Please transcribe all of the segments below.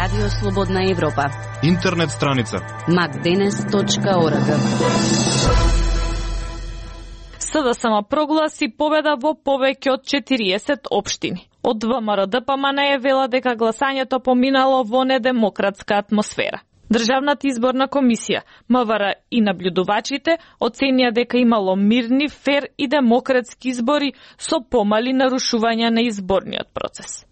Радио Слободна Европа. Интернет страница macdenes.org. СДСМ прогласи победа во повеќе од 40 општини. Од ВМРО-ДПМН е вела дека гласањето поминало во недемократска атмосфера. Државната изборна комисија, МВР и наблюдувачите оценија дека имало мирни, фер и демократски избори со помали нарушувања на изборниот процес.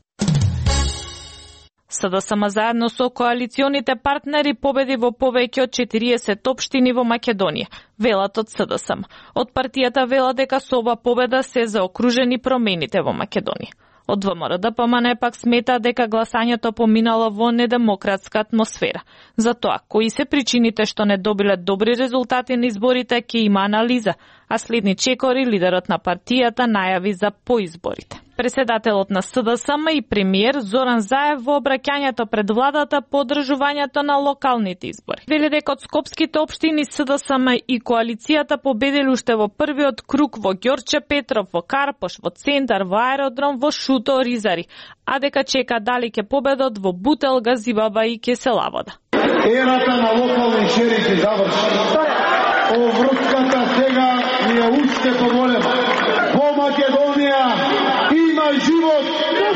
СДСМ заедно со коалиционите партнери победи во повеќе од 40 општини во Македонија, велат од СДСМ. Од партијата вела дека со ова победа се заокружени промените во Македонија. Од ВМРО-ДПМН пак смета дека гласањето поминало во недемократска атмосфера. Затоа, кои се причините што не добиле добри резултати на изборите, ќе има анализа, а следни чекори лидерот на партијата најави за поизборите. Председателот на СДСМ и премиер Зоран Заев во обраќањето пред владата по одржувањето на локалните избори вели дека од скопските општини СДСМ и коалицијата победили уште во првиот круг во Ѓорче Петров, во Карпош, во Центар, во Аеродром, во Шуто, Ризари, а дека чека дали ќе победат во Бутел, Газибаба и Кеселавода. Ерата на локални шерифи заврши. Оврската сега ни е уште поголема. Во Македонија има живот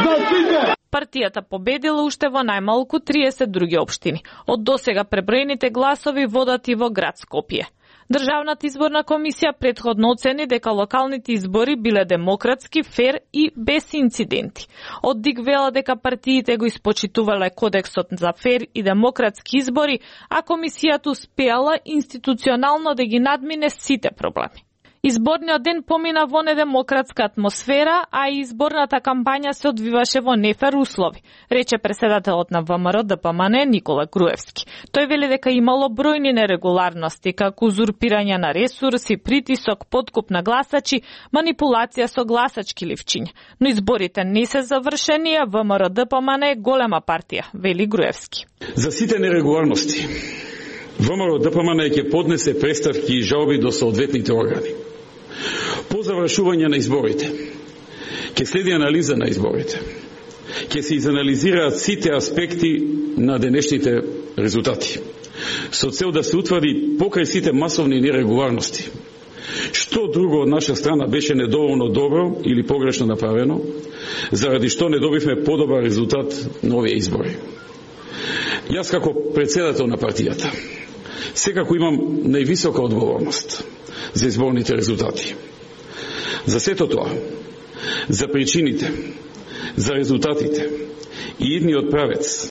за сите. Партијата победила уште во најмалку 30 други општини. Од досега преброените гласови водат и во град Скопје. Државната изборна комисија претходно оцени дека локалните избори биле демократски, фер и без инциденти. Од ДИК вела дека партиите го испочитувале кодексот за фер и демократски избори, а комисијата успеала институционално да ги надмине сите проблеми. Изборниот ден помина во недемократска атмосфера, а и изборната кампања се одвиваше во нефер услови, рече председателот на ВМРО-ДПМН Никола Груевски. Тој вели дека имало бројни нерегуларности, како узурпирање на ресурси, притисок, подкуп на гласачи, манипулација со гласачки ливчиња. Но изборите не се завршени, а ВМРО-ДПМН е голема партија, вели Груевски. За сите нерегуларности ВМРО-ДПМН ќе поднесе преставки и жалби до соодветните органи. По завршување на изборите ќе следи анализа на изборите. Ќе се изанализираат сите аспекти на денешните резултати, со цел да се утврди покрај сите масовни нерегуларности што друго од наша страна беше недоволно добро или погрешно направено, заради што не добивме подобар резултат на овие избори. Јас како председател на партијата секако имам највисока одговорност за изборните резултати. За сето тоа, за причините, за резултатите и идниот правец